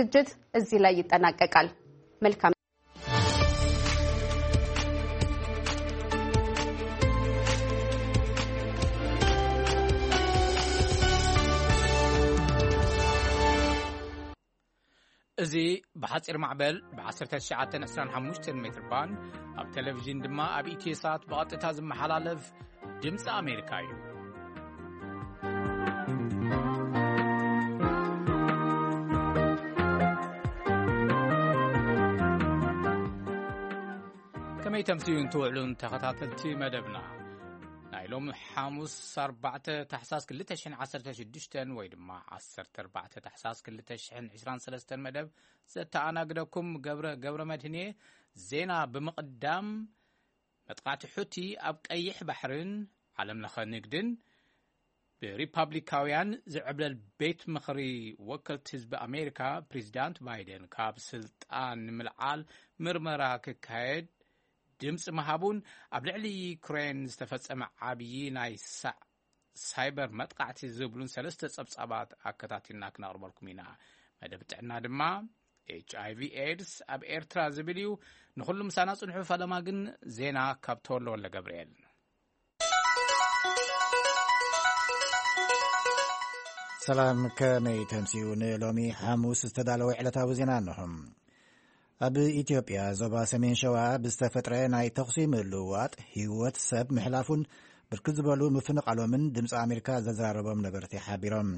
ዝግጅት እዚህ ላይ ይጠናቀቃል። መልካም። እዚ ብሓጺር ማዕበል ብ1925 ሜትር ባንድ ኣብ ቴሌቪዥን ድማ ኣብ ኢትዮ ሳት ብቐጥታ ዝመሓላለፍ ድምፂ ኣሜሪካ እዩ። ከመይ ተምስዩን ትውዕሉን ተኸታተልቲ መደብና? ናይ ሎም ሓሙስ 4 ታሕሳስ 2016 ወይ ድማ 14 ታሕሳስ 2023 መደብ ዘተኣናግደኩም ገብረ ገብረ መድህን እየ። ዜና ብምቕዳም፣ መጥቃዕቲ ሑቲ ኣብ ቀይሕ ባሕርን ዓለም ለኸ ንግድን ብሪፓብሊካውያን ዝዕብለል ቤት ምኽሪ ወከልቲ ህዝቢ ኣሜሪካ፣ ፕሬዚዳንት ባይደን ካብ ስልጣን ንምልዓል ምርመራ ክካየድ ድምፂ ምሃቡን ኣብ ልዕሊ ዩክሬን ዝተፈጸመ ዓብዪ ናይ ሳዕ ሳይበር መጥቃዕቲ ዝብሉን ሰለስተ ጸብጻባት ኣከታቲልና ክነቕርበልኩም ኢና። መደብ ጥዕና ድማ ኤች ኣይ ቪ ኤድስ ኣብ ኤርትራ ዝብል እዩ። ንኹሉ ምሳና ጽንሑ። ፈለማ ግን ዜና ካብ ተወልደ ወልደ ገብርኤል። ሰላም፣ ከመይ ተምስዩ? ንሎሚ ሓሙስ ዝተዳለወ ዕለታዊ ዜና እንሆ። ኣብ ኢትዮጵያ ዞባ ሰሜን ሸዋ ብዝተፈጥረ ናይ ተኹሲ ምልውዋጥ ህይወት ሰብ ምሕላፉን ብርክት ዝበሉ ምፍንቓሎምን ድምፂ ኣሜሪካ ዘዘራረቦም ነበርቲ ሓቢሮም።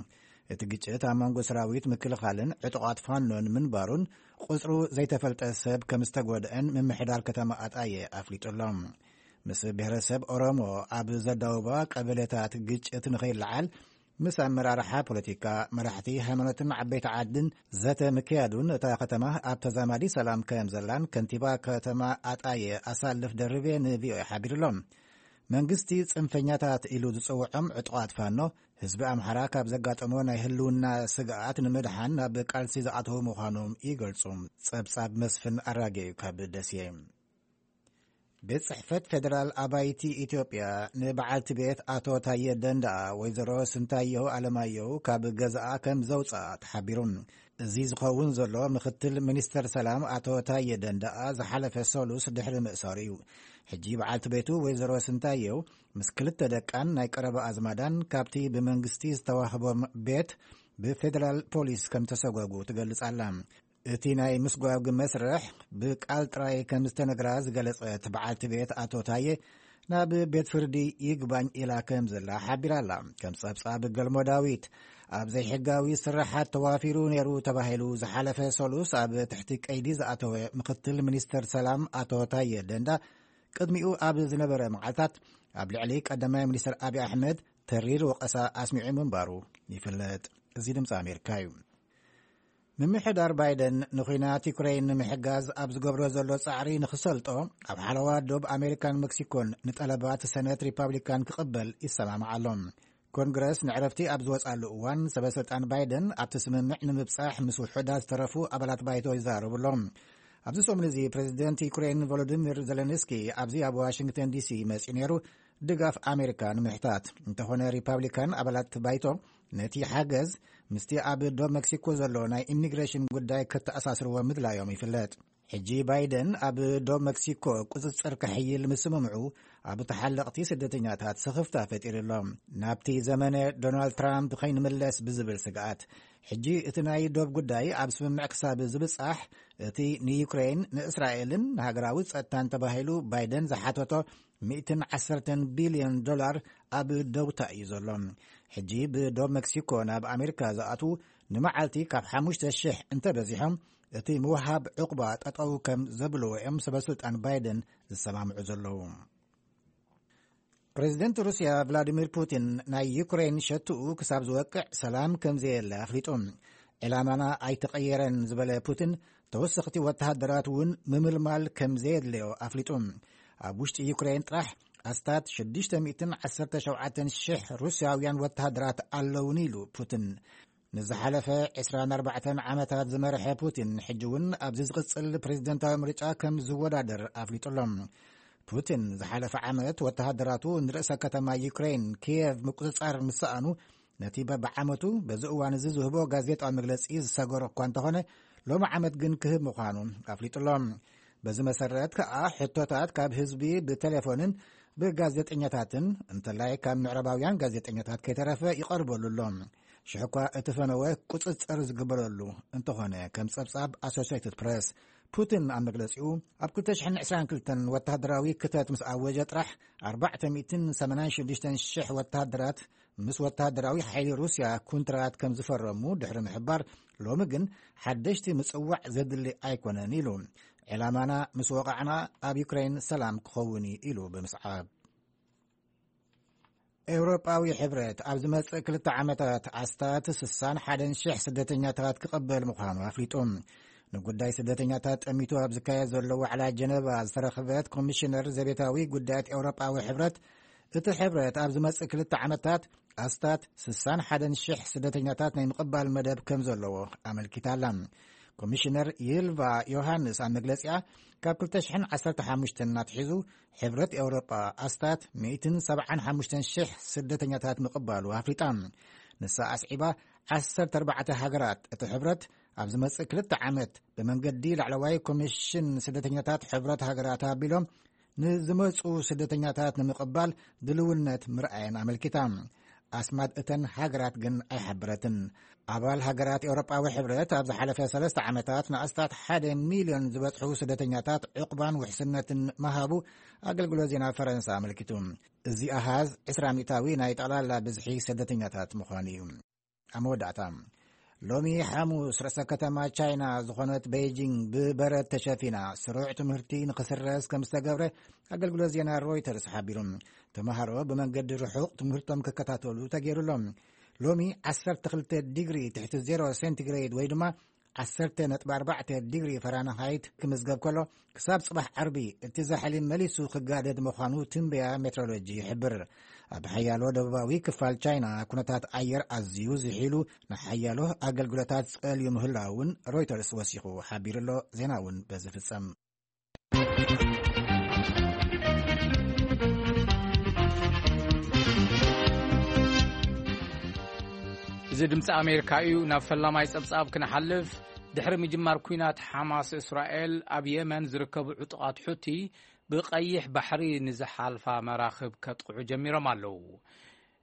እቲ ግጭት ኣብ መንጎ ሰራዊት ምክልኻልን ዕጡቓት ፋኖን ምንባሩን ቁፅሩ ዘይተፈልጠ ሰብ ከም ዝተጎድአን ምምሕዳር ከተማ ኣጣየ ኣፍሊጡ ኣሎ። ምስ ብሔረሰብ ኦሮሞ ኣብ ዘዳውባ ቀበሌታት ግጭት ንኸይለዓል ምስ ኣመራርሓ ፖለቲካ፣ መራሕቲ ሃይማኖትን ዓበይቲ ዓድን ዘተ ምክያዱን እታ ከተማ ኣብ ተዛማዲ ሰላም ከም ዘላን ከንቲባ ከተማ ኣጣየ ኣሳልፍ ደርቤ ንቪኦኤ ሓቢሩ ኣሎ። መንግስቲ ጽንፈኛታት ኢሉ ዝጽውዖም ዕጡቓት ፋኖ ህዝቢ ኣምሓራ ካብ ዘጋጠሞ ናይ ህልውና ስግኣት ንምድሓን ናብ ቃልሲ ዝኣተዉ ምዃኖም ይገልጹ። ጸብጻብ መስፍን ኣራጌ እዩ ካብ ደሴ። ቤት ጽሕፈት ፌደራል ኣባይቲ ኢትዮጵያ ንበዓልቲ ቤት ኣቶ ታየ ደንደኣ ወይዘሮ ስንታየሁ ኣለማየሁ ካብ ገዛኣ ከም ዘውፅኣ ተሓቢሩ። እዚ ዝኸውን ዘሎ ምክትል ሚኒስተር ሰላም ኣቶ ታየ ደንደኣ ዝሓለፈ ሰሉስ ድሕሪ ምእሳሩ እዩ። ሕጂ በዓልቲ ቤቱ ወይዘሮ ስንታየሁ ምስ ክልተ ደቃን ናይ ቀረባ ኣዝማዳን ካብቲ ብመንግስቲ ዝተዋህቦም ቤት ብፌደራል ፖሊስ ከም ተሰጎጉ ትገልጽ ኣላ። እቲ ናይ ምስጓግ መስርሕ ብቃል ጥራይ ከም ዝተነግራ ዝገለጸት በዓልቲ ቤት ኣቶ ታየ፣ ናብ ቤት ፍርዲ ይግባኝ ኢላ ከም ዘላ ሓቢራ ኣላ። ከም ጸብጻብ ገልሞ ዳዊት፣ ኣብ ዘይሕጋዊ ስራሓት ተዋፊሩ ነይሩ ተባሂሉ ዝሓለፈ ሰሉስ ኣብ ትሕቲ ቀይዲ ዝኣተወ ምክትል ሚኒስተር ሰላም ኣቶ ታየ ደንዳ፣ ቅድሚኡ ኣብ ዝነበረ መዓልታት ኣብ ልዕሊ ቀዳማይ ሚኒስተር ኣብይ ኣሕመድ ተሪር ወቐሳ ኣስሚዑ ምንባሩ ይፍለጥ። እዚ ድምፂ ኣሜሪካ እዩ። ምምሕዳር ባይደን ንኹናት ዩክሬን ንምሕጋዝ ኣብ ዝገብሮ ዘሎ ጻዕሪ ንኽሰልጦ፣ ኣብ ሓለዋ ዶብ ኣሜሪካን ሜክሲኮን ንጠለባት ሰነት ሪፓብሊካን ክቕበል ይሰማማዕ ኣሎ። ኮንግረስ ንዕረፍቲ ኣብ ዝወጻሉ እዋን፣ ሰበ ስልጣን ባይደን ኣብቲ ስምምዕ ንምብጻሕ ምስ ውሑዳት ዝተረፉ ኣባላት ባይቶ ይዛረቡ ኣለዉ። ኣብዚ ሰሙን እዚ ፕሬዚደንት ዩክሬን ቮሎዲሚር ዘለንስኪ ኣብዚ ኣብ ዋሽንግተን ዲሲ መጺኡ ነይሩ፣ ድጋፍ ኣሜሪካ ንምሕታት። እንተኾነ ሪፓብሊካን ኣባላት ባይቶ ነቲ ሓገዝ ምስቲ ኣብ ዶብ መክሲኮ ዘሎ ናይ ኢሚግሬሽን ጉዳይ ከተኣሳስርዎ ምድላዮም ይፍለጥ። ሕጂ ባይደን ኣብ ዶብ መክሲኮ ቁጽጽር ከሕይል ምስምምዑ ኣብ ተሓለቕቲ ስደተኛታት ስኽፍታ ፈጢሩ ኣሎ። ናብቲ ዘመነ ዶናልድ ትራምፕ ከይንምለስ ብዝብል ስግኣት፣ ሕጂ እቲ ናይ ዶብ ጉዳይ ኣብ ስምምዕ ክሳብ ዝብጻሕ፣ እቲ ንዩክሬን፣ ንእስራኤልን ንሃገራዊ ጸጥታን ተባሂሉ ባይደን ዝሓተቶ 110 ቢልዮን ዶላር ኣብ ደውታ እዩ ዘሎ። ሕጂ ብዶብ መክሲኮ ናብ ኣሜሪካ ዝኣትዉ ንመዓልቲ ካብ 5,000 እንተበዚሖም፣ እቲ ምውሃብ ዕቑባ ጠጠው ከም ዘብልዎ እዮም ሰበ ስልጣን ባይደን ዝሰማምዑ ዘለዉ። ፕሬዚደንት ሩስያ ቭላዲሚር ፑቲን፣ ናይ ዩክሬን ሸትኡ ክሳብ ዝወቅዕ ሰላም ከም ዘየለ ኣፍሊጡ። ዕላማና ኣይተቐየረን ዝበለ ፑቲን፣ ተወሰኽቲ ወተሃደራት እውን ምምልማል ከም ዘየድለዮ ኣፍሊጡ። ኣብ ውሽጢ ዩክሬን ጥራሕ ኣስታት 617,000 ሩስያውያን ወተሃደራት ኣለውኒ ኢሉ ፑቲን። ንዝሓለፈ 24 ዓመታት ዝመርሐ ፑቲን፣ ሕጂ እውን ኣብዚ ዝቕጽል ፕሬዚደንታዊ ምርጫ ከም ዝወዳደር ኣፍሊጡ ኣሎ። ፑቲን ዝሓለፈ ዓመት ወተሃደራቱ ንርእሰ ከተማ ዩክሬን ኪየቭ ምቁጽጻር ምስ ሰኣኑ፣ ነቲ በብዓመቱ በዚ እዋን እዚ ዝህቦ ጋዜጣዊ መግለጺ ዝሰገሮ እኳ እንተኾነ፣ ሎሚ ዓመት ግን ክህብ ምዃኑ ኣፍሊጡ ኣሎ። በዚ መሰረት ከኣ ሕቶታት ካብ ህዝቢ ብቴሌፎንን ብጋዜጠኛታትን፣ እንተላይ ካብ ምዕራባውያን ጋዜጠኛታት ከይተረፈ ይቐርበሉ ኣሎ። ሽሕ እኳ እቲ ፈነወ ቁጽጽር ዝግበረሉ እንተኾነ፣ ከም ጸብጻብ ኣሶሲየትድ ፕረስ፣ ፑቲን ኣብ መግለጺኡ፣ ኣብ ክልተ ሽሕን ዕስራን ክልተን ወተሃደራዊ ክተት ምስ ኣወጀ ጥራሕ፣ ኣርባዕተ ሚእትን ሰማንያን ሽዱሽተን ሽሕ ወተሃደራት ምስ ወተሃደራዊ ሓይሊ ሩስያ ኩንትራት ከም ዝፈረሙ ድሕሪ ምሕባር፣ ሎሚ ግን ሓደሽቲ ምጽዋዕ ዘድሊ ኣይኮነን ኢሉ። ዕላማና ምስ ወቓዕና ኣብ ዩክሬን ሰላም ክኸውን እዩ ኢሉ ብምስዓብ። ኤውሮጳዊ ሕብረት ኣብ ዝመጽእ ክልተ ዓመታት ኣስታት ስሳን ሓደን ሽሕ ስደተኛታት ክቐበል ምዃኑ ኣፍሊጡ። ንጉዳይ ስደተኛታት ጠሚቱ ኣብ ዝካየድ ዘሎ ዋዕላ ጀነቫ ዝተረኽበት ኮሚሽነር ዘቤታዊ ጉዳያት ኤውሮጳዊ ሕብረት፣ እቲ ሕብረት ኣብ ዝመጽእ ክልተ ዓመታት ኣስታት ስሳን ሓደን ሽሕ ስደተኛታት ናይ ምቕባል መደብ ከም ዘለዎ ኣመልኪታ ኣላ። ኮሚሽነር ይልቫ ዮሃንስ ኣብ መግለጺኣ፣ ካብ ክልተ ሽሕን ዓሰርተ ሓሙሽተን ኣትሒዙ ሕብረት ኤውሮጳ ኣስታት ሚእትን ሰብዓን ሓሙሽተን ሽሕ ስደተኛታት ምቕባሉ ኣፍሊጣ። ንሳ ኣስዒባ፣ ዓሰርተ ኣርባዕተ ሃገራት እቲ ሕብረት ኣብ ዝመጽእ ክልተ ዓመት ብመንገዲ ላዕለዋይ ኮሚሽን ስደተኛታት ሕብረት ሃገራት ኣቢሎም ንዝመጹ ስደተኛታት ንምቕባል ድልውነት ምርኣየን ኣመልኪታ። ኣስማት እተን ሃገራት ግን ኣይሓበረትን። ኣባል ሃገራት ኤውሮጳዊ ሕብረት ኣብ ዝሓለፈ ሰለስተ ዓመታት ንኣስታት ሓደ ሚልዮን ዝበጽሑ ስደተኛታት ዕቑባን ውሕስነትን ምሃቡ ኣገልግሎት ዜና ፈረንሳ ኣመልኪቱ። እዚ ኣሃዝ ዕስራ ሚእታዊ ናይ ጠቕላላ ብዝሒ ስደተኛታት ምዃኑ እዩ። ኣብ መወዳእታ፣ ሎሚ ሓሙስ ርእሰ ከተማ ቻይና ዝኾነት ቤይጂንግ ብበረድ ተሸፊና፣ ስሩዕ ትምህርቲ ንኽስረዝ ከም ዝተገብረ ኣገልግሎት ዜና ሮይተርስ ሓቢሩ። ተምሃሮ ብመንገዲ ርሑቕ ትምህርቶም ክከታተሉ ተገይሩሎም። ሎሚ ዓሰርተ ክልተ ዲግሪ ትሕቲ ዜሮ ሴንቲግሬድ ወይ ድማ ዓሰርተ ነጥቢ ኣርባዕተ ዲግሪ ፈራንሃይት ክምዝገብ ከሎ፣ ክሳብ ጽባሕ ዓርቢ እቲ ዛሕሊ መሊሱ ክጋደድ ምዃኑ ትንበያ ሜትሮሎጂ ይሕብር። ኣብ ሓያሎ ደቡባዊ ክፋል ቻይና ኩነታት ኣየር ኣዝዩ ዝሒሉ፣ ንሓያሎ ኣገልግሎታት ጸልዩ ምህላው እውን ሮይተርስ ወሲኹ ሓቢሩ ኣሎ። ዜና እውን በዚ ፍጸም። እዚ ድምፂ ኣሜሪካ እዩ። ናብ ፈላማይ ጸብጻብ ክንሓልፍ፣ ድሕሪ ምጅማር ኲናት ሓማስ እስራኤል፣ ኣብ የመን ዝርከቡ ዕጡቓት ሑቲ ብቐይሕ ባሕሪ ንዝሓልፋ መራኽብ ከጥቕዑ ጀሚሮም ኣለዉ።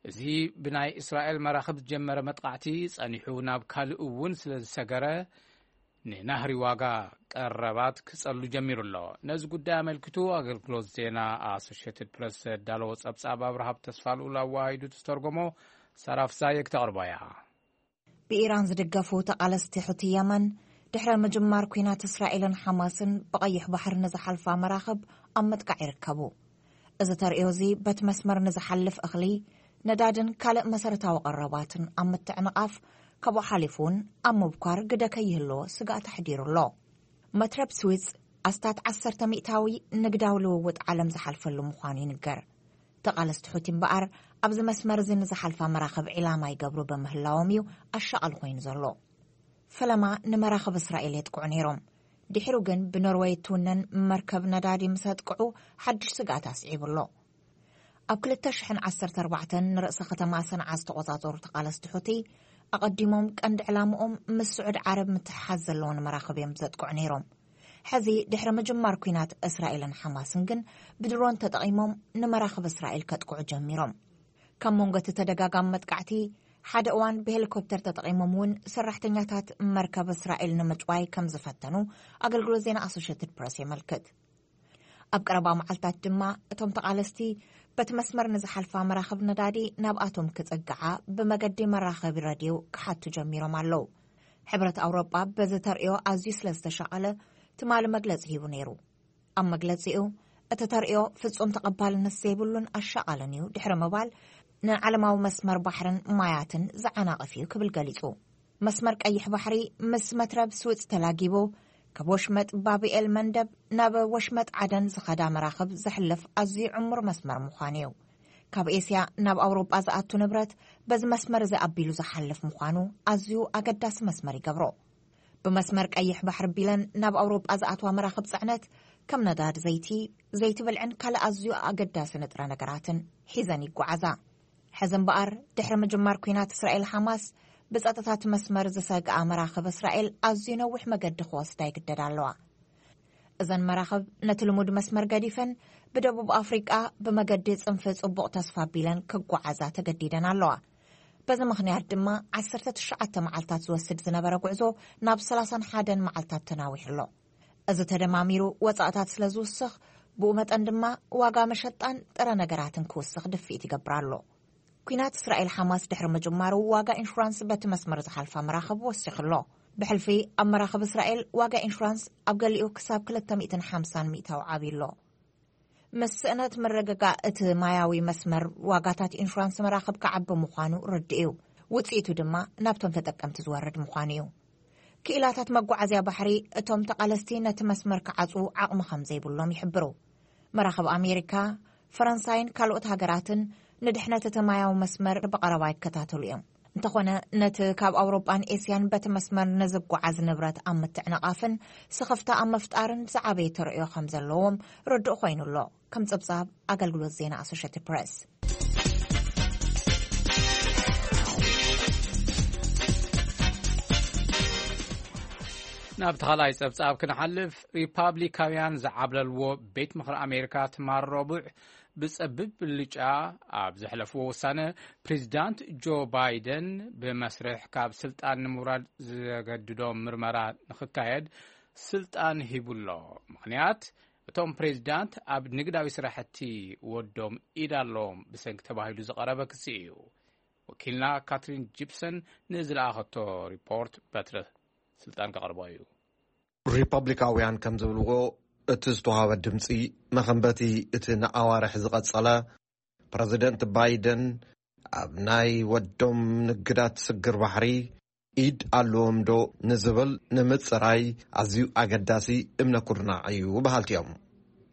እዚ ብናይ እስራኤል መራኽብ ዝጀመረ መጥቓዕቲ ጸኒሑ ናብ ካልእ እውን ስለ ዝሰገረ፣ ንናህሪ ዋጋ ቀረባት ክጸሉ ጀሚሩ ኣሎ። ነዚ ጉዳይ ኣመልኪቱ ኣገልግሎት ዜና ኣሶሽየትድ ፕረስ ዘዳለዎ ጸብጻብ ኣብርሃብ ተስፋልኡል ኣወሃሂዱ ዝተርጎሞ ሳራ ፍሳየ ክተቕርቦ እያ። ብኢራን ዝድገፉ ተቓለስቲ ሑቲ የመን፣ ድሕሪ ምጅማር ኲናት እስራኤልን ሓማስን ብቐይሕ ባሕሪ ንዝሓልፋ መራኽብ ኣብ ምጥቃዕ ይርከቡ። እዚ ተርእዮ እዚ በቲ መስመር ንዝሓልፍ እኽሊ፣ ነዳድን ካልእ መሰረታዊ ቀረባትን ኣብ ምትዕንቓፍ፣ ካብኡ ሓሊፉ እውን ኣብ ምብኳር ግደ ከይህልዎ ስግኣት ኣሕዲሩ ኣሎ። መትረብ ስዊዝ ኣስታት ዓሰርተ ሚእታዊ ንግዳዊ ልውውጥ ዓለም ዝሓልፈሉ ምዃኑ ይንገር። ተቓለስቲ ሑቲ እምበኣር፣ ኣብዚ መስመር እዚ ንዝሓልፋ መራኽብ ዒላማ ይገብሩ ብምህላዎም እዩ ኣሻቓሊ ኮይኑ ዘሎ። ፈለማ ንመራኽብ እስራኤል የጥቅዑ ነይሮም። ድሒሩ ግን ብኖርወይ እትውነን መርከብ ነዳዲ ምስ ኣጥቅዑ፣ ሓድሽ ስግኣት ኣስዒቡ ኣሎ። ኣብ ክልተ ሽሕን ዓሰርተ ኣርባዕተን ንርእሰ ከተማ ሰንዓ ዝተቖጻጸሩ ተቓለስቲ ሑቲ፣ ኣቐዲሞም ቀንዲ ዕላምኦም ምስ ስዑድ ዓረብ ምትሕሓዝ ዘለወን መራኽብ እዮም ዘጥቅዑ ነይሮም። ሕዚ ድሕሪ ምጅማር ኲናት እስራኤልን ሓማስን ግን፣ ብድሮን ተጠቒሞም ንመራኽብ እስራኤል ከጥቅዑ ጀሚሮም። ካብ መንጎ እቲ ተደጋጋሚ መጥቃዕቲ፣ ሓደ እዋን ብሄሊኮፕተር ተጠቒሞም እውን ሰራሕተኛታት መርከብ እስራኤል ንምጭዋይ ከም ዝፈተኑ ኣገልግሎት ዜና ኣሶሽየትድ ፕረስ የመልክት። ኣብ ቀረባ መዓልታት ድማ፣ እቶም ተቓለስቲ በቲ መስመር ንዝሓልፋ መራኽብ ነዳዲ ናብኣቶም ክጽግዓ ብመገዲ መራኸቢ ረድዮ ክሓቱ ጀሚሮም ኣለዉ። ሕብረት ኣውሮጳ በዚ ተርእዮ ኣዝዩ ስለ ዝተሻቐለ፣ ትማሊ መግለጺ ሂቡ ነይሩ። ኣብ መግለጺኡ፣ እቲ ተርእዮ ፍጹም ተቐባልነት ዘይብሉን ኣሻቓልን እዩ ድሕሪ ምባል፣ ንዓለማዊ መስመር ባሕርን ማያትን ዝዓናቕፍ እዩ ክብል ገሊጹ። መስመር ቀይሕ ባሕሪ ምስ መትረብ ስዊዝ ተላጊቡ፣ ካብ ወሽመጥ ባብኤል መንደብ ናብ ወሽመጥ ዓደን ዝኸዳ መራኽብ ዘሕልፍ ኣዝዩ ዕሙር መስመር ምዃኑ እዩ። ካብ ኤስያ ናብ ኣውሮጳ ዝኣቱ ንብረት በዚ መስመር እዚ ኣቢሉ ዝሓልፍ ምዃኑ ኣዝዩ ኣገዳሲ መስመር ይገብሮ። ብመስመር ቀይሕ ባሕሪ ቢለን ናብ ኣውሮጳ ዝኣትዋ መራኽብ ጽዕነት፣ ከም ነዳዲ ዘይቲ፣ ዘይቲ ብልዕን ካልእ ኣዝዩ ኣገዳሲ ንጥረ ነገራትን ሒዘን ይጓዓዛ። ሕዚ እምበኣር፣ ድሕሪ ምጅማር ኲናት እስራኤል ሓማስ፣ ብጸጥታ እቲ መስመር ዝሰግኣ መራኽብ እስራኤል ኣዝዩ ነዊሕ መገዲ ክወስዳ ይግደዳ ኣለዋ። እዘን መራኽብ ነቲ ልሙድ መስመር ገዲፈን ብደቡብ ኣፍሪቃ ብመገዲ ጽንፊ ጽቡቕ ተስፋ ኣቢለን ክጓዓዛ ተገዲደን ኣለዋ። በዚ ምኽንያት ድማ ዓሰርተ ትሽዓተ መዓልታት ዝወስድ ዝነበረ ጉዕዞ ናብ ሰላሳን ሓደን መዓልታት ተናዊሑ ኣሎ። እዚ ተደማሚሩ ወጻእታት ስለ ዝውስኽ፣ ብኡ መጠን ድማ ዋጋ መሸጣን ጥረ ነገራትን ክውስኽ ድፍኢት ይገብር ኣሎ። ኲናት እስራኤል ሓማስ ድሕሪ ምጅማሩ ዋጋ ኢንሹራንስ በቲ መስመር ዝሓልፋ መራኽብ ወሲኹ ኣሎ። ብሕልፊ ኣብ መራኽብ እስራኤል ዋጋ ኢንሹራንስ ኣብ ገሊኡ ክሳብ ክልተ ሚእትን ሓምሳን ሚእታዊ ዓብዩ ኣሎ። ምስ ስእነት ምርግጋእ እቲ ማያዊ መስመር ዋጋታት ኢንሹራንስ መራኽብ ክዓቢ ምዃኑ ርዱእ እዩ። ውጽኢቱ ድማ ናብቶም ተጠቀምቲ ዝወርድ ምዃኑ እዩ። ክኢላታት መጓዓዝያ ባሕሪ እቶም ተቓለስቲ ነቲ መስመር ክዓጽዉ ዓቕሚ ከም ዘይብሎም ይሕብሩ። መራኽብ ኣሜሪካ፣ ፈረንሳይን ካልኦት ሃገራትን ንድሕነት እቲ ማያዊ መስመር ብቐረባ ይከታተሉ እዮም። እንተኾነ ነቲ ካብ ኣውሮጳን ኤስያን በቲ መስመር ንዝጓዓዝ ንብረት ኣብ ምትዕንቓፍን ስኽፍታ ኣብ ምፍጣርን ዝዓበየ ተርእዮ ከም ዘለዎም ርዱእ ኮይኑ ኣሎ። ከም ጸብጻብ ኣገልግሎት ዜና ኣሶሽትድ ፕረስ። ናብ ተኻላይ ጸብጻብ ክንሓልፍ፣ ሪፓብሊካውያን ዝዓብለልዎ ቤት ምኽሪ ኣሜሪካ ትማል ረቡዕ ብጸብብ ብልጫ ኣብ ዘሕለፍዎ ውሳነ፣ ፕሬዚዳንት ጆ ባይደን ብመስርሕ ካብ ስልጣን ንምውራድ ዘገድዶ ምርመራ ንኽካየድ ስልጣን ሂቡሎ። ምኽንያት፣ እቶም ፕሬዚዳንት ኣብ ንግዳዊ ስራሕቲ ወዶም ኢድ ኣለዎም ብሰንኪ ተባሂሉ ዝቐረበ ክሲ እዩ። ወኪልና ካትሪን ጂፕሰን ንዝለኣኸቶ ሪፖርት በትረ ስልጣን ከቕርቦ እዩ። ሪፐብሊካውያን ከም ዝብልዎ፣ እቲ ዝተዋሃበ ድምፂ መኸንበቲ እቲ ንኣዋርሕ ዝቐጸለ ፕረዚደንት ባይደን ኣብ ናይ ወዶም ንግዳት ስግር ባሕሪ ኢድ ኣለዎም ዶ ንዝብል ንምጽራይ ኣዝዩ ኣገዳሲ እምነ ኩርናዕ እዩ በሃልቲ እዮም።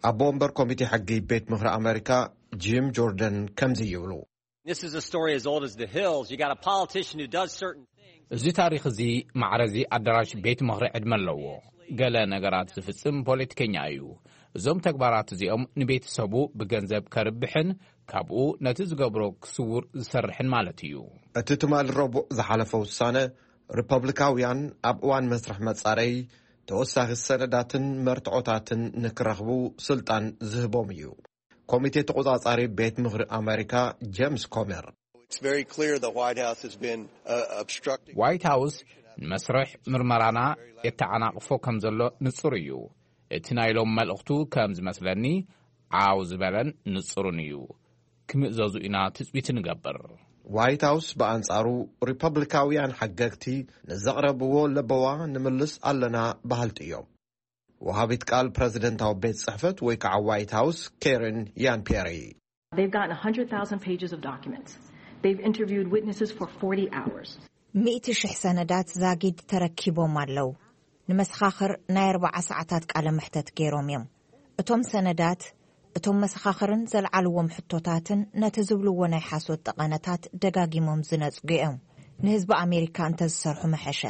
ኣቦ ወንበር ኮሚቴ ሕጊ ቤት ምኽሪ ኣመሪካ ጂም ጆርደን ከምዚ ይብሉ። This is a story as old as the hills. You got a politician who does certain things. እዚ ታሪኽ እዚ ማዕረዚ ኣዳራሽ ቤት ምኽሪ ዕድመ ኣለዎ። ገለ ነገራት ዝፍጽም ፖለቲከኛ እዩ። እዞም ተግባራት እዚኦም ንቤተሰቡ ብገንዘብ ከርብሕን ካብኡ ነቲ ዝገብሮ ክስውር ዝሰርሕን ማለት እዩ። እቲ ትማሊ ረቡዕ ዝሓለፈ ውሳነ፣ ሪፐብሊካውያን ኣብ እዋን መስርሕ መጻረይ ተወሳኺ ሰነዳትን መርትዖታትን ንክረኽቡ ስልጣን ዝህቦም እዩ። ኮሚቴ ተቖጻጻሪ ቤት ምኽሪ ኣመሪካ ጄምስ ኮመር፣ It's very clear the White House has been uh, obstructing. ዋይት ሃውስ ንመስርሕ ምርመራና የተዓናቕፎ ከም ዘሎ ንጹር እዩ። እቲ ናይ ሎም መልእኽቱ ከም ዝመስለኒ ዓው ዝበለን ንጹርን እዩ። ክምእዘዙ ኢና ትጽቢት ንገብር። ዋይት ሃውስ ብኣንጻሩ፣ ሪፐብሊካውያን ሓገግቲ ንዘቕረብዎ ለበዋ ንምልስ ኣለና በሃልቲ እዮም። ወሃቢት ቃል ፕረዚደንታዊ ቤት ጽሕፈት ወይ ከዓ ዋይት ሃውስ ኬረን ያን ፒየሪ፣ They've gotten one hundred thousand pages of documents. They've interviewed witnesses for forty hours. ሚእቲ ሽሕ ሰነዳት ዛጊድ ተረኪቦም ኣለዉ። ንመሰኻኽር ናይ ኣርባዓ ሰዓታት ቃለ መሕተት ገይሮም እዮም። እቶም ሰነዳት፣ እቶም መሰኻኽርን ዘልዓልዎም ሕቶታትን ነቲ ዝብልዎ ናይ ሓሶት ጠቐነታት ደጋጊሞም ዝነጽጉ እዮም። ንህዝቢ ኣሜሪካ እንተዝሰርሑ ምሐሸ።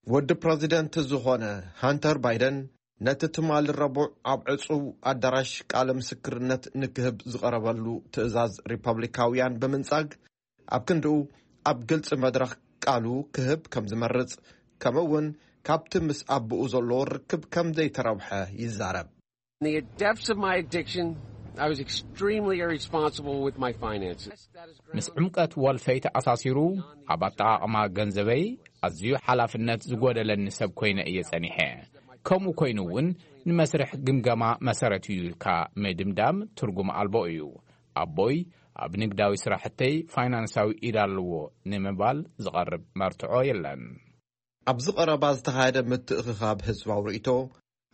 ወዲ ፕረዚደንት ዝኾነ ሃንተር ባይደን፣ ነቲ ትማሊ ረቡዕ ኣብ ዕጹው ኣዳራሽ ቃለ ምስክርነት ንክህብ ዝቐረበሉ ትእዛዝ ሪፐብሊካውያን ብምንጻግ፣ ኣብ ክንድኡ ኣብ ግልጺ መድረኽ ቃሉ ክህብ ከም ዝመርጽ፣ ከምኡ እውን ካብቲ ምስ ኣቦኡ ዘለዎ ርክብ ከም ዘይተረብሐ ይዛረብ። In the depths of my addiction, I was extremely irresponsible with my finances. ምስ ዕምቀት ወልፈይ ተኣሳሲሩ፣ ኣብ ኣጠቓቕማ ገንዘበይ ኣዝዩ ሓላፍነት ዝጎደለኒ ሰብ ኮይነ እየ ጸኒሐ። ከምኡ ኮይኑ እውን ንመስርሕ ግምገማ መሰረት እዩ ኢልካ ምድምዳም ትርጉም ኣልቦ እዩ። ኣቦይ ኣብ ንግዳዊ ስራሕተይ ፋይናንሳዊ ኢድ ኣለዎ ንምባል ዝቐርብ መርትዖ የለን። ኣብዚ ቀረባ ዝተኻየደ ምትእኽኻብ ህዝባዊ ርእይቶ፣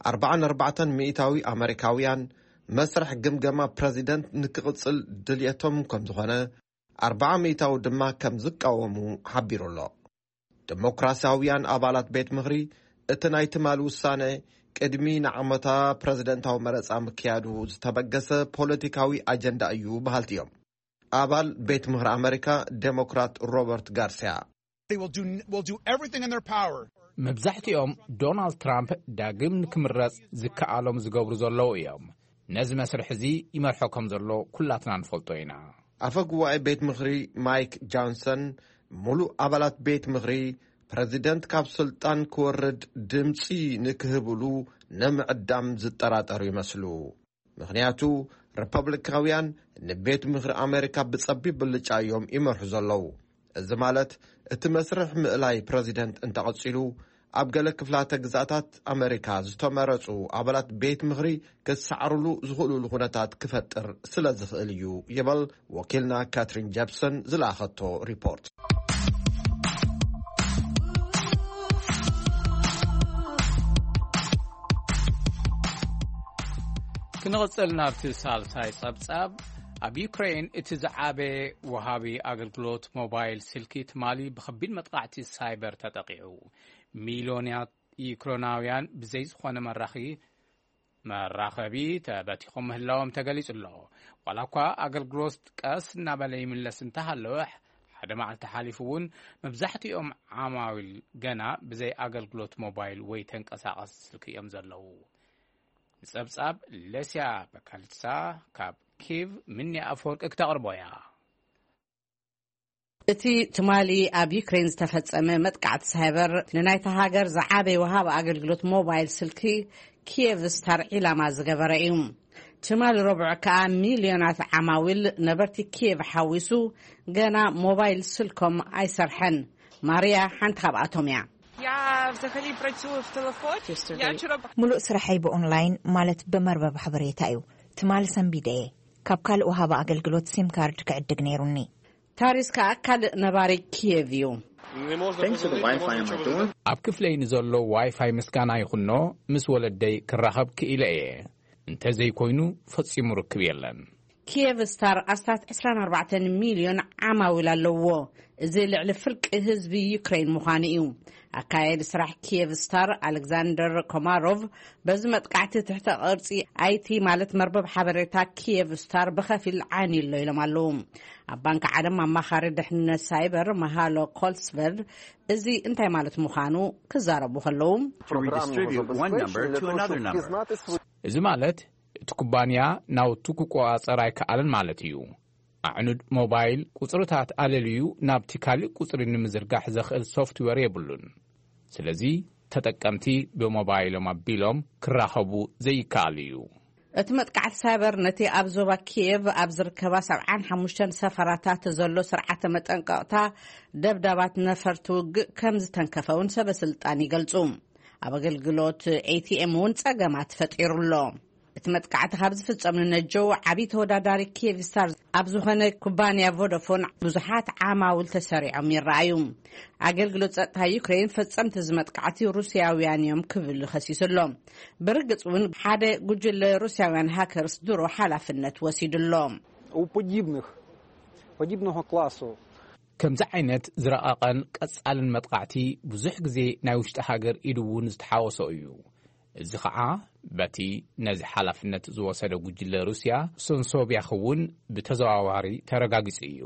ኣርባዓን ኣርባዕተን ሚእታዊ ኣመሪካውያን መስርሕ ግምገማ ፕረዚደንት ንክቕጽል ድልየቶም ከም ዝኾነ፣ ኣርባዓ ሚእታዊ ድማ ከም ዝቃወሙ ሓቢሩ ኣሎ። ዲሞክራሲያውያን ኣባላት ቤት ምኽሪ፣ እቲ ናይ ትማሊ ውሳነ ቅድሚ ንዓመታ ፕረዚደንታዊ መረጻ ምክያዱ ዝተበገሰ ፖለቲካዊ ኣጀንዳ እዩ በሃልቲ እዮም። ኣባል ቤት ምኽሪ ኣመሪካ ዴሞክራት ሮበርት ጋርሲያ፣ They will do, will do everything in their power. መብዛሕትኦም ዶናልድ ትራምፕ ዳግም ንክምረጽ ዝከኣሎም ዝገብሩ ዘለዉ እዮም። ነዚ መስርሕ እዚ ይመርሖ ከም ዘሎ ኩላትና ንፈልጦ ኢና። ኣፈ ጉባኤ ቤት ምኽሪ ማይክ ጃንሰን ሙሉእ ኣባላት ቤት ምኽሪ ፕረዚደንት ካብ ስልጣን ክወርድ ድምፂ ንክህብሉ ንምዕዳም ዝጠራጠሩ ይመስሉ። ምኽንያቱ ሪፐብሊካውያን ንቤት ምኽሪ ኣሜሪካ ብጸቢብ ብልጫ እዮም ይመርሑ ዘለዉ። እዚ ማለት እቲ መስርሕ ምእላይ ፕረዚደንት እንተቐጺሉ ኣብ ገለ ክፍላተ ግዛታት ኣሜሪካ ዝተመረጹ ኣባላት ቤት ምኽሪ ክሰዓሩሉ ዝኽእሉሉ ኩነታት ክፈጥር ስለ ዝኽእል እዩ ይበል ወኪልና ካትሪን ጀፕሰን ዝለኣኸቶ ሪፖርት። ክንቕጽል ናብቲ ሳልሳይ ጸብጻብ። ኣብ ዩክሬን እቲ ዝዓበየ ወሃቢ ኣገልግሎት ሞባይል ስልኪ ትማሊ ብኸቢድ መጥቃዕቲ ሳይበር ተጠቒዑ። ሚልዮንያት ዩክሬናውያን ብዘይ ዝኾነ መራኺ መራኸቢ ተበቲኾም ምህላዎም ተገሊጹ ኣሎ። ዋላ እኳ ኣገልግሎት ቀስ እናበለ ይምለስ እንተሃለወ፣ ሓደ መዓልቲ ሓሊፉ እውን መብዛሕትኦም ዓማዊል ገና ብዘይ ኣገልግሎት ሞባይል ወይ ተንቀሳቐሲ ስልኪ እዮም ዘለዉ። ንጸብጻብ ሌስያ በካልሳ ካብ ኪቭ ምኒ ኣፈወርቂ ክተቕርቦ እያ። እቲ ትማሊ ኣብ ዩክሬን ዝተፈጸመ መጥቃዕቲ ሳይበር ንናይታ ሃገር ዝዓበየ ወሃቢ ኣገልግሎት ሞባይል ስልኪ ኪየቭ ስታር ዒላማ ዝገበረ እዩ። ትማሊ ረቡዕ ከኣ ሚልዮናት ዓማዊል ነበርቲ ኪየቭ ሓዊሱ ገና ሞባይል ስልኮም ኣይሰርሐን። ማርያ ሓንቲ ካብኣቶም እያ። Я взагалі працюю в телефоні. Я вчора ሙሉእ ስራሐይ ብኦንላይን ማለት ብመርበብ ሓበሬታ እዩ። ትማሊ ሰንቢደ እየ። ካብ ካልእ ወሃቢ ኣገልግሎት ሲም ካርድ ክዕድግ ነይሩኒ። ታሪስ ከኣ ካልእ ነባሪ ኪየቭ እዩ። Thanks to the Wi-Fi on my door. ኣብ ክፍለይ ንዘሎ ዋይፋይ ምስጋና ይኹኖ ምስ ወለደይ ክራኸብ ክኢለ እየ። እንተዘይኮይኑ ፈጺሙ ርክብ የለን። ኪየቭ ስታር ኣስታት ዕስራን ኣርባዕተን ሚልዮን ዓማዊል ኣለዎ። እዚ ልዕሊ ፍርቂ ህዝቢ ዩክሬን ምዃኑ እዩ። ኣካያዲ ስራሕ ኪየቭ ስታር ኣሌክዛንደር ኮማሮቭ በዚ መጥቃዕቲ ትሕተ ቅርጺ ኣይቲ ማለት መርበብ ሓበሬታ ኪየቭ ስታር ብኸፊል ዓንዩ ኣሎ ኢሎም ኣለዉ። ኣብ ባንክ ዓለም ኣማኻሪ ድሕንነት ሳይበር መሃሎ ኮልስቨርድ እዚ እንታይ ማለት ምዃኑ ክዛረቡ ከለዉ To redistribute one number to another number. እዚ ማለት እቲ ኩባንያ ናውቱ ክቆጻጸር ኣይከኣለን ማለት እዩ። ኣዕኑድ ሞባይል ቁጽርታት ኣለልዩ ናብቲ ካልእ ቁጽሪ ንምዝርጋሕ ዘኽእል ሶፍትዌር የብሉን። ስለዚ ተጠቀምቲ ብሞባይሎም ኣቢሎም ክራኸቡ ዘይከኣል እዩ። እቲ መጥቃዕቲ ሳይበር ነቲ ኣብ ዞባ ኪየቭ ኣብ ዝርከባ ሰብዓን ሓሙሽተን ሰፈራታት ዘሎ ስርዓተ መጠንቀቕታ ደብዳባት ነፈርቲ ውግእ ከም ዝተንከፈ እውን ሰበ ስልጣን ይገልጹ። ኣብ ኣገልግሎት ኤቲኤም እውን ጸገማት ፈጢሩ ኣሎ። እቲ መጥቃዕቲ ካብ ዝፍጸም ንነጀው ዓብዪ ተወዳዳሪ ኪየቭ ስታር ኣብ ዝኾነ ኩባንያ ቮዳፎን ብዙሓት ዓማውል ተሰሪዖም ይረኣዩ። ኣገልግሎት ጸጥታ ዩክሬን ፈጸምቲ እዚ መጥቃዕቲ ሩስያውያን እዮም ክብል ከሲሱ ኣሎ። ብርግጽ እውን ሓደ ጉጅለ ሩስያውያን ሃከርስ ድሮ ሓላፍነት ወሲዱ ኣሎ። У подібних, подібного класу. ከምዚ ዓይነት ዝረቐቐን ቀጻልን መጥቃዕቲ ብዙሕ ግዜ ናይ ውሽጢ ሃገር ኢድ እውን ዝተሓወሶ እዩ። እዚ ኸዓ በቲ ነዚ ሓላፍነት ዝወሰደ ጉጅለ ሩስያ ሶንሶብያ ክውን ብተዘዋዋሪ ተረጋጊጹ እዩ።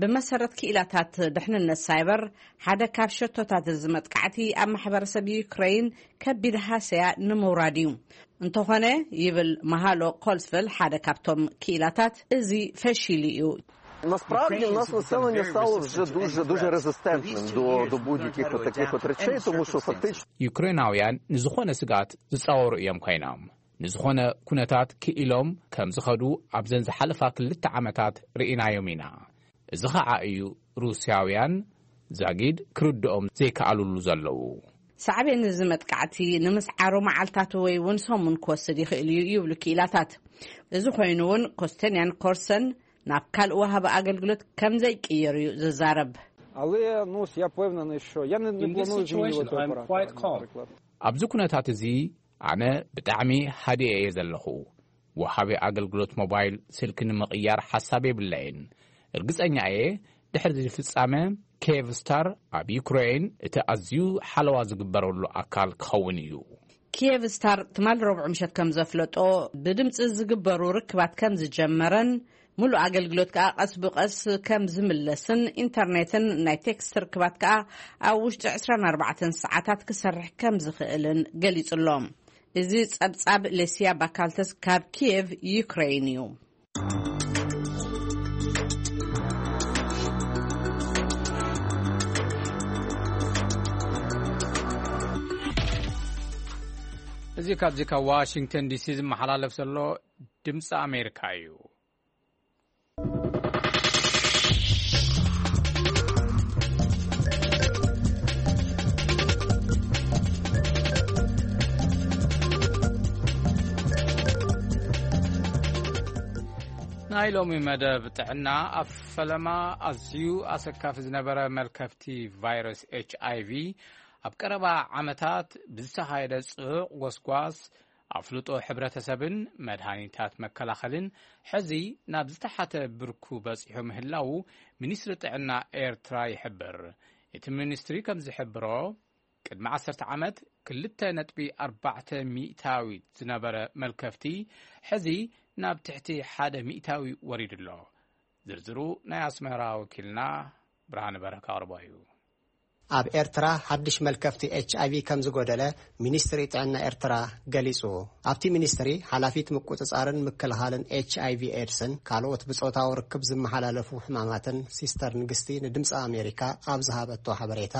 ብመሰረት ክኢላታት ድሕንነት ሳይበር ሓደ ካብ ሸቶታት እዚ መጥቃዕቲ ኣብ ማሕበረሰብ ዩክሬን ከቢድ ሃሰያ ንምውራድ እዩ። እንተኾነ ይብል መሃሎ ኮልስቨል ሓደ ካብቶም ክኢላታት እዚ ፈሺሉ እዩ። Насправді в нас населення стало вже дуже дуже резистентним до, до будь-яких таких от речей, тому що фактично ዩክሬናውያን ንዝኾነ ስጋት ዝጻወሩ እዮም ኮይኖም። ንዝኾነ ኩነታት ክኢሎም ከም ዝኸዱ ኣብዘን ዝሓለፋ ክልተ ዓመታት ርኢናዮም ኢና። እዚ ኸዓ እዩ ሩስያውያን ዛጊድ ክርድኦም ዘይከኣሉሉ ዘለዉ። ሳዕቤን እዚ መጥቃዕቲ ንምስዓሩ መዓልታት ወይ እውን ሰሙን ክወስድ ይኽእል እዩ ይብሉ ክኢላታት። እዚ ኮይኑ እውን ኮስተንያን ኮርሰን ናብ ካልእ ወሃቢ ኣገልግሎት ከም ዘይቅየር እዩ ዝዛረብ። Але ну я впевнений, що я не, не планую змінювати оператора, наприклад. ኣብዚ ኩነታት እዚ ኣነ ብጣዕሚ ሃዲኤ እየ ዘለኹ። ወሃቢ ኣገልግሎት ሞባይል ስልኪ ንምቕያር ሓሳብ የብለይን። እርግጸኛ እየ ድሕሪ እዚ ፍጻመ ኬቭ ስታር ኣብ ዩክሬን እቲ ኣዝዩ ሓለዋ ዝግበረሉ ኣካል ክኸውን እዩ። ኪየቭ ስታር ትማል ረቡዕ ምሸት ከም ዘፍለጦ ብድምፂ ዝግበሩ ርክባት ከም ዝጀመረን ሙሉእ ኣገልግሎት ከኣ ቀስ ብቐስ ከም ዝምለስን ኢንተርኔትን ናይ ቴክስት ርክባት ከኣ ኣብ ውሽጢ ዕስራን ኣርባዕተን ሰዓታት ክሰርሕ ከም ዝኽእልን ገሊጹ ኣሎ። እዚ ጸብጻብ ሌስያ ባካልተስ ካብ ኪየቭ ዩክሬን እዩ። እዚ ካብዚ ካብ ዋሽንግተን ዲሲ ዝመሓላለፍ ዘሎ ድምፂ ኣሜሪካ እዩ። ናይ ሎሚ መደብ ጥዕና፣ ኣብ ፈለማ ኣዝዩ ኣሰካፊ ዝነበረ መልከፍቲ ቫይረስ ኤች ኣይ ቪ፣ ኣብ ቀረባ ዓመታት ብዝተኻየደ ጽዑቕ ጎስጓስ፣ ኣፍልጦ ሕብረተሰብን መድሃኒታት መከላኸልን ሕዚ ናብ ዝተሓተ ብርኩ በጺሑ ምህላዉ ሚኒስትሪ ጥዕና ኤርትራ ይሕብር። እቲ ሚኒስትሪ ከም ዝሕብሮ፣ ቅድሚ ዓሰርተ ዓመት ክልተ ነጥቢ ኣርባዕተ ሚእታዊት ዝነበረ መልከፍቲ፣ ሕዚ ናብ ትሕቲ ሓደ ሚእታዊ ወሪዱ ኣሎ። ዝርዝሩ ናይ ኣስመራ ወኪልና ብርሃነ በረካ ኣቕርቦ እዩ። ኣብ ኤርትራ ሓድሽ መልከፍቲ ኤች ኣይ ቪ ከም ዝጎደለ ሚኒስትሪ ጥዕና ኤርትራ ገሊጹ። ኣብቲ ሚኒስትሪ ሓላፊት ምቁጽጻርን ምክልኻልን ኤች ኣይ ቪ ኤድስን ካልኦት ብጾታዊ ርክብ ዝመሓላለፉ ሕማማትን ሲስተር ንግስቲ ንድምፂ ኣሜሪካ ኣብ ዝሃበቶ ሓበሬታ፣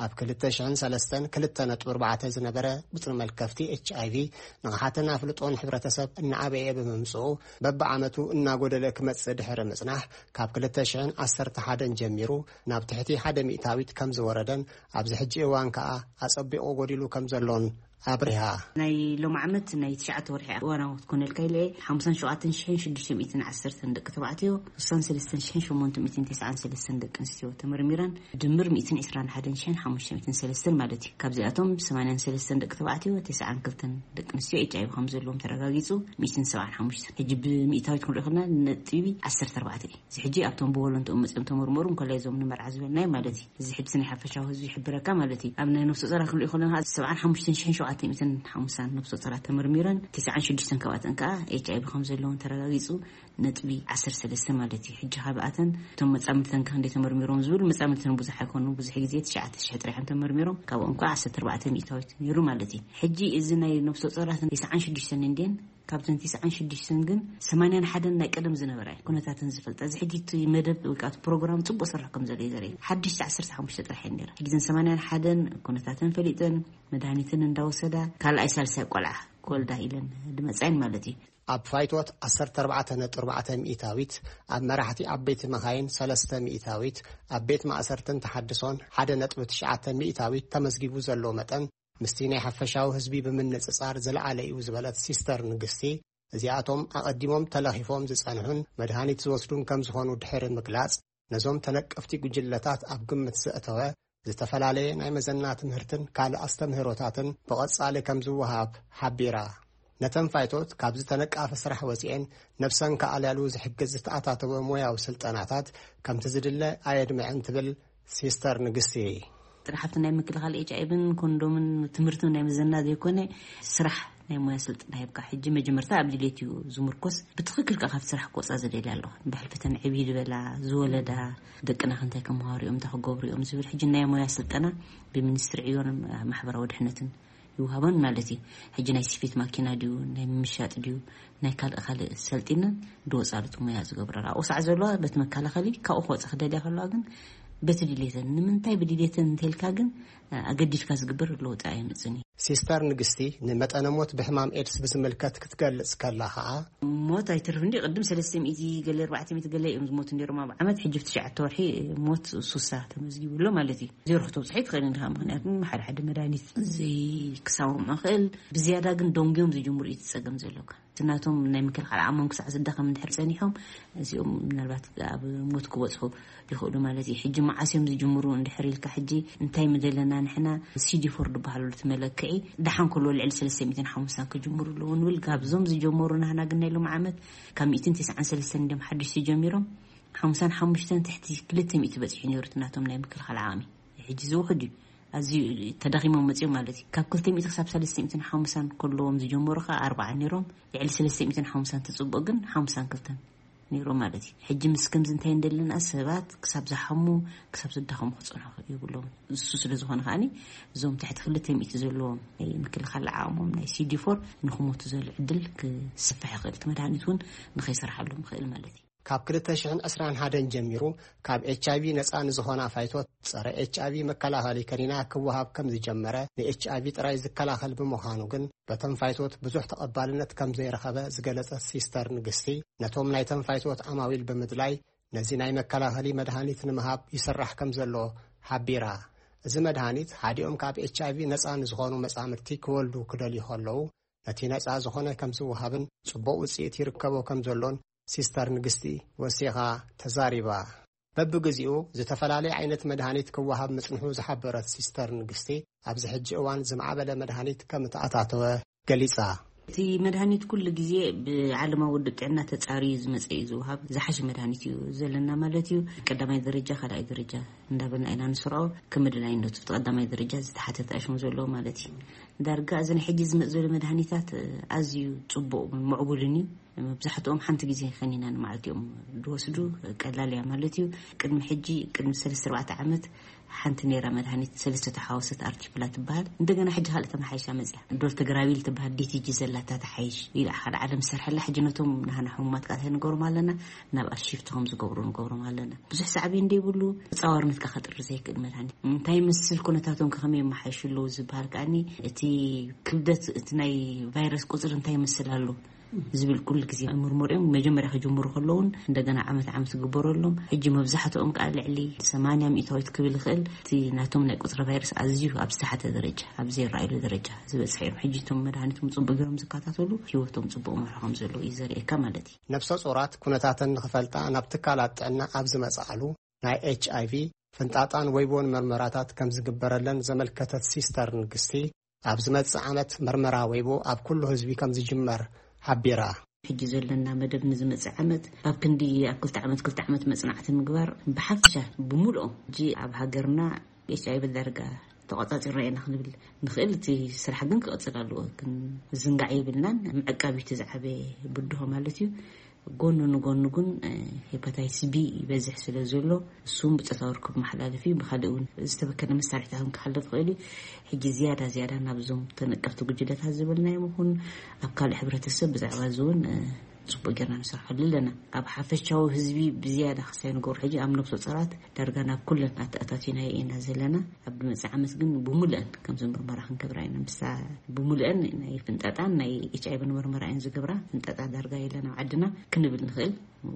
ኣብ ክልተ ሽሕን ሰለስተን ክልተ ነጥቢ ኣርባዕተ ዝነበረ ቁጽሪ መልከፍቲ ኤች ኣይ ቪ ንቕሓትን ኣፍልጦን ሕብረተሰብ እናዓበየ ብምምጽኡ፣ በብዓመቱ እናጎደለ ክመጽእ ድሕሪ ምጽናሕ፣ ካብ ክልተ ሽሕን ዓሰርተ ሓደን ጀሚሩ ናብ ትሕቲ ሓደ ሚእታዊት ከም ዝወረደን ኣብዚ ሕጂ እዋን ከኣ ኣጸቢቑ ጎዲሉ ከም ዘሎን ኣብሪሃ። ናይ ሎም ዓመት ናይ ትሽዓተ ወርሒ እዋናዊ ክትኮነልካ ኢለ፣ ሓምሳን ሸውዓተን ሽሕን ሽዱሽተ ሚእትን ዓሰርተን ደቂ ተባዕትዮ፣ ስሳን ሰለስተን ሽሕን ሸሞንተ ሚእትን ተስዓን ሰለስተን ደቂ ኣንስትዮ ተመርሚረን፣ ድምር ሚእትን ዕስራን ሓደን ሽሕን ሓሙሽተ ሚእትን ሰለስተን ማለት እዩ። ካብዚኣቶም ሰማንያን ሰለስተን ደቂ ተባዕትዮ፣ ተስዓን ክልተን ደቂ ኣንስትዮ ኤች ኣይ ቪ ከም ዘለዎም ተረጋጊጹ፣ ሚእትን ሰብዓን ሓሙሽተን። ሕጂ ብሚእታዊት ክንሪኦ ከለና ነጥቢ ዓሰርተ ኣርባዕተ እዩ። እዚ ሕጂ ኣብቶም ብወለንትኦም መጺኦም ተመርመሩ፣ እንኮላይ እዞም ንመርዓ ዝበልናዮም ማለት እዩ። እዚ ሕጂ ናይ ሓፈሻዊ ህዝቢ ይሕብረካ ማለት እዩ። ኣብ ናይ ነፍሰ ጾራ ክንሪኦ ከለና፣ ሰብዓን ሓሙሽተን ሽሕን ሸውዓተ ሚእትን ሓምሳን ነፍሰ ጾራ ተመርሚረን፣ ተስዓን ሽዱሽተን ካብኣተን ከኣ ኤች ኣይ ቪ ከም ዘለውን ተረጋጊጹ፣ ነጥቢ ዓሰርተ ሰለስተ ማለት እዩ። ሕጂ ካብኣተን እቶም መጻምድተን ከ ክንደይ ተመርሚሮም ዝብል፣ መጻምድተን ብዙሕ ኣይኮኑ፣ ብዙሕ ግዜ ትሽዓተ ሽሕ ጥራሕ እዮም ተመርሚሮም፣ ካብኦም ከኣ ዓሰርተ ኣርባዕተ ሚእታዊት ነይሩ ማለት እዩ። ሕጂ እዚ ናይ ነፍሰ ጾራት ተስዓን ሽዱሽተን እንድየን፣ ካብተን ተስዓን ሽዱሽተን ግን ሰማንያን ሓደን ናይ ቀደም ዝነበራ እየን ኩነታተን ዝፈልጣ። እዚ ሕጂ እቲ መደብ ወይ ከዓ እቲ ፕሮግራም ጽቡቕ ስራሕ ከም ዘሎ እዩ ዘርኢ። ሓደሽቲ ዓሰርተ ሓሙሽተ ጥራሕ እየን ነይረን። ሕጂ እዘን ሰማንያን ሓደን ኩነታተን ፈሊጠን፣ መድሃኒትን እንዳወሰዳ፣ ካልኣይ ሳልሳይ ቆልዓ ክወልዳ ኢለን ድመጻ እየን ማለት እዩ። ኣብ ፋይቶት ዓሰርተ ኣርባዕተ ነጥቢ ኣርባዕተ ሚእታዊት፣ ኣብ መራሕቲ ዓበይቲ መኻይን ሰለስተ ሚእታዊት፣ ኣብ ቤት ማእሰርትን ተሓድሶን ሓደ ነጥቢ ትሽዓተ ሚእታዊት ተመዝጊቡ ዘሎ መጠን፣ ምስቲ ናይ ሓፈሻዊ ህዝቢ ብምንጽጻር ዝለዓለ እዩ ዝበለት ሲስተር ንግስቲ፣ እዚኣቶም ኣቐዲሞም ተለኺፎም ዝጸንሑን መድሃኒት ዝወስዱን ከም ዝኾኑ ድሕሪ ምግላጽ፣ ነዞም ተነቀፍቲ ጉጅለታት ኣብ ግምት ዘእተወ ዝተፈላለየ ናይ መዘና ትምህርትን ካልእ ኣስተምህሮታትን ብቐጻሊ ከም ዝወሃብ ሓቢራ። ነተን ፋይቶት ካብዚ ተነቃፊ ስራሕ ወጺኤን ነብሰን ክኣልያሉ ዝሕግዝ ዝተኣታተወ ሞያዊ ስልጠናታት ከምቲ ዝድለ ኣየድምዐን ትብል ሲስተር ንግስቲ። ጥራሕ ኣብቲ ናይ ምክልኻል ኤች ኣይ ቪን ኮንዶምን ትምህርትን ናይ መዘና ዘይኮነ፣ ስራሕ ናይ ሞያ ስልጠና ሂብካ። ሕጂ መጀመርታ ኣብ ድሌት እዩ ዝምርኮስ። ብትኽክል ከኣ ካብቲ ስራሕ ክወጻ ዝደልያ ኣለዋ። ብሕልፈተን ዕብይ ዝበላ፣ ዝወለዳ፣ ደቅና ክንታይ ከመሃሩ እዮም፣ እንታይ ክገብሩ እዮም ዝብል። ሕጂ ናይ ሞያ ስልጠና ብሚኒስትሪ ዕዮን ማሕበራዊ ድሕነትን ይውሃበን ማለት እዩ። ሕጂ ናይ ስፌት ማኪና ድዩ፣ ናይ ምምሻጥ ድዩ፣ ናይ ካልእ ካልእ ሰልጢነን ድወጻሉ እቲ ሞያ ዝገብረላ። ኣብኡ ሳዕ ዘለዋ በቲ መከላኸሊ ካብኡ ክወጻ ክደልያ ከለዋ ግን በቲ ድሌተን። ንምንታይ ብድሌተን እንተልካ ግን ኣገዲድካ ዝግበር ለውጢ ኣየምጽን እዩ። ሲስተር ንግስቲ ንመጠነ ሞት ብሕማም ኤድስ ብዝምልከት ክትገልጽ ከላ ኸኣ፣ ሞት ኣይተርፍ እንዲ ቅድም ሰለስተ ሚእቲ ገለ ኣርባዕተ ሚእቲ ገለ እዮም ዝሞቱ ነይሮም ኣብ ዓመት። ሕጂ ብትሽዓተ ወርሒ ሞት ሱሳ ተመዝጊቡ ኣሎ ማለት እዩ። ዜሮ ክተብጽሖ ይትኽእል እንዲኻ፣ ምኽንያቱ ሓደ ሓደ መድሃኒት ዘይክሳዎም ይኽእል። ብዝያዳ ግን ደንጉዮም ዝጅምሩ እዩ እቲ ጸገም ዘለካ። እቲ ናቶም ናይ ምክልኻል ዓቕሞም ክሳዕ ዝዳኸም እንድሕር ጸኒሖም፣ እዚኦም ምናልባት ኣብ ሞት ክበጽሑ ይኽእሉ ማለት እዩ። ሕጂ መዓስ እዮም ዝጅምሩ እንድሕር ኢልካ፣ ሕጂ እንታይ ምደለና ንሕና፣ ሲ ዲ ፎር ዝበሃሉ እቲ መለክዒ ደሓን ከሎ ልዕሊ ሰለስተ ሚእትን ሓምሳን ክጅምሩ ኣለዎ ንብል። ካብዞም ዝጀመሩ ናህና ግን ናይ ሎም ዓመት ካብ ሚእትን ተስዓን ሰለስተን እንዲዮም ሓድሽ ተጀሚሮም። ሓምሳን ሓሙሽተን ትሕቲ ክልተ ሚእቲ በጺሑ ነይሩ እቲ ናቶም ናይ ምክልኻል ዓቕሚ። ሕጂ ዝውሕድ እዩ። ኣዝዩ ተዳኺሞም መጺኦም ማለት እዩ። ካብ ክልተ ሚእቲ ክሳብ ሰለስተ ሚእትን ሓምሳን ከለዎም ዝጀመሩ ኸኣ ኣርባዓ ነይሮም። ልዕሊ ሰለስተ ሚእትን ሓምሳን ትጽብኦ ግን ሓምሳን ክልተን ነይሮም ማለት እዩ። ሕጂ ምስ ከምዚ እንታይ እንደለና፣ ሰባት ክሳብ ዝሓሙ፣ ክሳብ ዝዳኸሙ ክጸንሑ የብሎም። እሱ ስለ ዝኾነ ከኣኒ እዞም ትሕቲ ክልተ ሚእቲ ዘለዎም ናይ ምክልኻል ዓቕሞም ናይ ሲ ዲ ፎር ንክሞቱ ዘሎ ዕድል ክስፍሕ ይኽእል። እቲ መድሃኒት እውን ንኸይሰርሓሎም ይኽእል ማለት እዩ። ካብ ክልተ ሽሕን ዕስራን ሓደን ጀሚሩ ካብ ኤች ኣይ ቪ ነጻ ንዝኾና ፋይቶት ጸረ ኤች ኣይ ቪ መከላኸሊ ከኒና ክወሃብ ከም ዝጀመረ፣ ን ኤች ኣይ ቪ ጥራይ ዝከላኸል ብምዃኑ ግን በተን ፋይቶት ብዙሕ ተቐባልነት ከም ዘይረኸበ ዝገለጸት ሲስተር ንግስቲ፣ ነቶም ናይተን ፋይቶት ዓማዊል ብምድላይ ነዚ ናይ መከላኸሊ መድሃኒት ንምሃብ ይስራሕ ከም ዘሎ ሓቢራ። እዚ መድሃኒት ሓዲኦም ካብ ኤች ኣይ ቪ ነጻ ንዝኾኑ መጻምድቲ ክወልዱ ክደልዩ ከለዉ ነቲ ነጻ ዝኾነ ከም ዝወሃብን ጽቡቕ ውጽኢት ይርከቦ ከም ዘሎን ሲስተር ንግስቲ ወሲኻ ተዛሪባ። በብግዜኡ ዝተፈላለየ ዓይነት መድሃኒት ክወሃብ ምጽንሑ ዝሓበረት ሲስተር ንግስቲ፣ ኣብዚ ሕጂ እዋን ዝማዕበለ መድሃኒት ከም እተኣታተወ ገሊጻ። እቲ መድሃኒት ኩሉ ግዜ ብዓለማዊ ውድብ ጥዕና ተጻርዩ ዝመጸ እዩ ዝወሃብ። ዝሓሸ መድሃኒት እዩ ዘለና ማለት እዩ። ቀዳማይ ደረጃ፣ ካልኣይ ደረጃ እንዳበልና ኢና ንስርዖ። ከም መድላይነቱ እቲ ቀዳማይ ደረጃ ዝተሓተተ ኣሽሙ ዘለዎ ማለት እዩ። ዳርጋ እዚ ናይ ሕጂ ዝመጽእ ዘሎ መድሃኒታት ኣዝዩ ጽቡቕ ምዕቡልን እዩ። መብዛሕትኦም ሓንቲ ግዜ ከኒና ንመዓልቲ እዮም ዝወስዱ። ቀላል እያ ማለት እዩ። ቅድሚ ሕጂ፣ ቅድሚ ሰለስተ ኣርባዕተ ዓመት ሓንቲ ነይራ መድሃኒት ሰለስተ ተሓዋሰት ኣርቲፕላ ትበሃል። እንደገና ሕጂ ካልእ ተመሓይሻ መጽያ። ዶልተግራቢል ትበሃል ዲ ቲ ጂ ዘላታ ተሓይሽ ኢላ ሓደ ዓለም ዝሰርሐላ። ሕጂ ነቶም ናህና ሕሙማት ቃታ ንገብሮም ኣለና፣ ናብ ኣርሺፍቲ ከም ዝገብሩ ንገብሮም ኣለና። ብዙሕ ሳዕቤን ዘይብሉ፣ ተጻዋርነት ከጥሪ ዘይክእል መድሃኒት። እንታይ ይመስል ኩነታቶም ከ ከመይ የመሓይሹ ኣለዉ ዝበሃል ከኣኒ፣ እቲ ክብደት እቲ ናይ ቫይረስ ቁጽሪ እንታይ ይመስል ኣሎ ዝብል ኩሉ ግዜ ምርምር እዮም። መጀመርያ ክጅምሩ ከለውን እንደገና ዓመት ዓመት ክግበረሎም። ሕጂ መብዛሕትኦም ከኣ ልዕሊ ሰማንያ ሚእታዊት ክብል ይኽእል፣ እቲ ናቶም ናይ ቁጽሪ ቫይረስ ኣዝዩ ኣብ ዝተሓተ ደረጃ፣ ኣብ ዘይረኣየሉ ደረጃ ዝበጽሐ እዮም። ሕጂ እቶም መድሃኒቶም ጽቡቅ ገይሮም ዝከታተሉ ህይወቶም ጽቡቅ መርሖ ከም ዘለዉ እዩ ዘርእየካ ማለት እዩ። ነፍሰ ጾራት ኩነታተን ንኽፈልጣ ናብ ትካላት ጥዕና ኣብ ዝመጽኣሉ፣ ናይ ኤች ኣይ ቪ፣ ፍንጣጣን ወይቦን መርመራታት ከም ዝግበረለን ዘመልከተት ሲስተር ንግስቲ፣ ኣብ ዝመጽእ ዓመት መርመራ ወይቦ ኣብ ኩሉ ህዝቢ ከም ዝጅመር ሓቢራ። ሕጂ ዘለና መደብ ንዝመጽእ ዓመት ኣብ ክንዲ ኣብ ክልተ ዓመት፣ ክልተ ዓመት መጽናዕቲ ምግባር ብሓፈሻ ብምልኦም ሕጂ ኣብ ሃገርና ኤች ኣይ ቪ ዳርጋ ተቆጻጺርና ኢና ክንብል ንኽእል። እቲ ስራሕ ግን ክቕጽል ኣለዎ። ግን ዝንጋዕ የብልናን። ምዕቃብ እዩ እቲ ዝዓበየ ብድሆ ማለት እዩ። ጎኑ ንጎኑ ግን፣ እ፣ ሄፓታይትስ ቢ ይበዝሕ ስለ ዘሎ፣ እሱም ብጾታዊ ርክብ መሓላለፊ፣ ብኻልእ እውን ዝተበከለ መሳርሒታት እውን ክሓልፍ ይኽእል እዩ። ሕጂ ዝያዳ ዝያዳ ናብዞም ተነቀፍቲ ጉጅለታት ዝበልናዮም ይኹን ኣብ ካልእ ሕብረተሰብ ብዛዕባ እዚ እውን፣ እ፣ ጽቡቅ ጌርና ንሰርሐሉ ኣለና። ኣብ ሓፈሻዊ ህዝቢ ብዝያዳ ክሳይ ንገብሮ ሕጂ ኣብ ነብሰ ጾራት ዳርጋ ናብ ኩለን ኣተኣታቲናዮ ኢና ዘለና። ኣብ ዝመጽእ ዓመት ግን ብሙሉአን ከምዚ ምርመራ ክንገብራ ኢና። ምሳ ብሙሉአን ናይ ፍንጣጣን ናይ ኤች ኣይ ቪ ምርመራ እየን ዝገብራ። ፍንጣጣ ዳርጋ የለን ኣብ ዓድና ክንብል ንኽእል።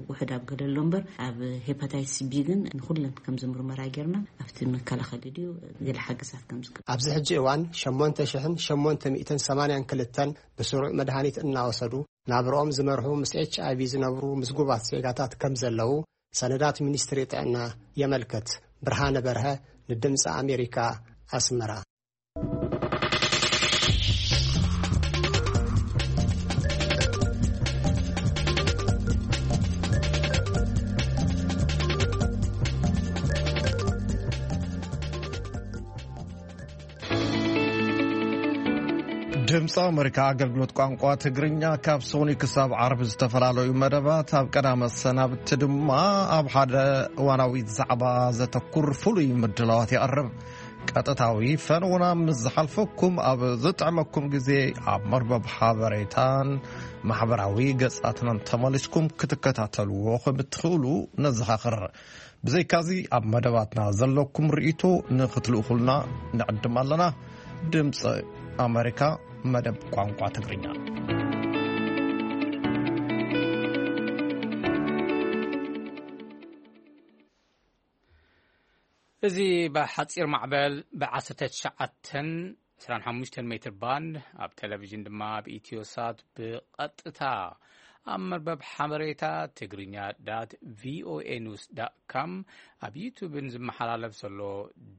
ውሑድ ኣብ ገለ ኣሎ እምበር፣ ኣብ ሄፓታይትስ ቢ ግን ንኹለን ከምዚ ምርመራ ጌርና ኣብቲ መከላኸሊ ድዩ ገለ ሓገዛት ከም ዝግበር። ኣብዚ ሕጂ እዋን ሸሞንተ ሽሕን ሸሞንተ ሚእትን ሰማንያን ክልተን ብስሩዕ መድሃኒት እናወሰዱ ናብርኦም ዝመርሑ ምስ ኤች ኣይ ቪ ዝነብሩ ምዝጉባት ዜጋታት ከም ዘለዉ ሰነዳት ሚኒስትሪ ጥዕና የመልክት። ብርሃነ በርሀ ንድምፂ ኣሜሪካ፣ ኣስመራ። ድምፂ ኣሜሪካ ኣገልግሎት ቋንቋ ትግርኛ ካብ ሶኒ ክሳብ ዓርቢ ዝተፈላለዩ መደባት ኣብ ቀዳመ ሰናብቲ ድማ ኣብ ሓደ እዋናዊ ዛዕባ ዘተኩር ፍሉይ ምድላዋት የቕርብ። ቀጥታዊ ፈነውና ምስ ዝሓልፈኩም ኣብ ዝጥዕመኩም ግዜ ኣብ መርበብ ሓበሬታን ማሕበራዊ ገጻትናን ተመሊስኩም ክትከታተልዎ ከም እትኽእሉ ነዘኻኽር። ብዘይካዚ ኣብ መደባትና ዘለኩም ርእይቶ ንኽትልእኹልና ንዕድም ኣለና። ድምፂ ኣሜሪካ መደብ ቋንቋ ትግርኛ። እዚ ብሓጺር ማዕበል ብ19 25 ሜትር ባንድ ኣብ ቴሌቪዥን ድማ ብኢትዮሳት ብቐጥታ ኣብ መርበብ ሓበሬታ ትግርኛ ዳት ቪኦኤ ኒውስ ዳት ካም ኣብ ዩቱብን ዝመሓላለፍ ዘሎ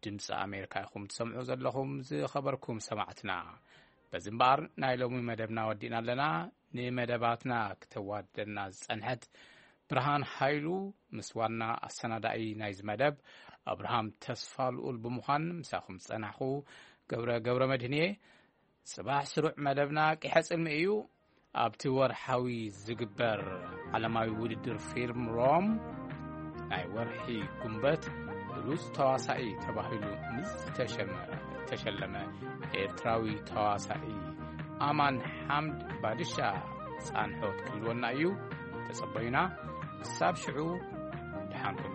ድምፂ ኣሜሪካ ኢኹም ትሰምዑ ዘለኹም። ዝኸበርኩም ሰማዕትና፣ በዚ እምበኣር ናይ ሎሚ መደብና ወዲእና ኣለና። ንመደባትና ክተዋደና ዝጸንሐት ብርሃን ሃይሉ ምስ ዋና ኣሰናዳኢ ናይዚ መደብ ኣብርሃም ተስፋ ልኡል ብምዃን ምሳኹም ዝጸናሕኹ ገብረ ገብረ መድህን እየ። ጽባሕ ስሩዕ መደብና ቂሐ ጽልሚ እዩ። ኣብቲ ወርሓዊ ዝግበር ዓለማዊ ውድድር ፊልም ሮም ናይ ወርሒ ጉንበት ብሉጽ ተዋሳኢ ተባሂሉ ምስ ዝተሸመ-፣ ዝተሸለመ ኤርትራዊ ተዋሳኢ ኣማን ሓምድ ባድሻ ጻንሖት ክህልወና እዩ። ተጸበዩና። ክሳብ ሽዑ ደሓንኩም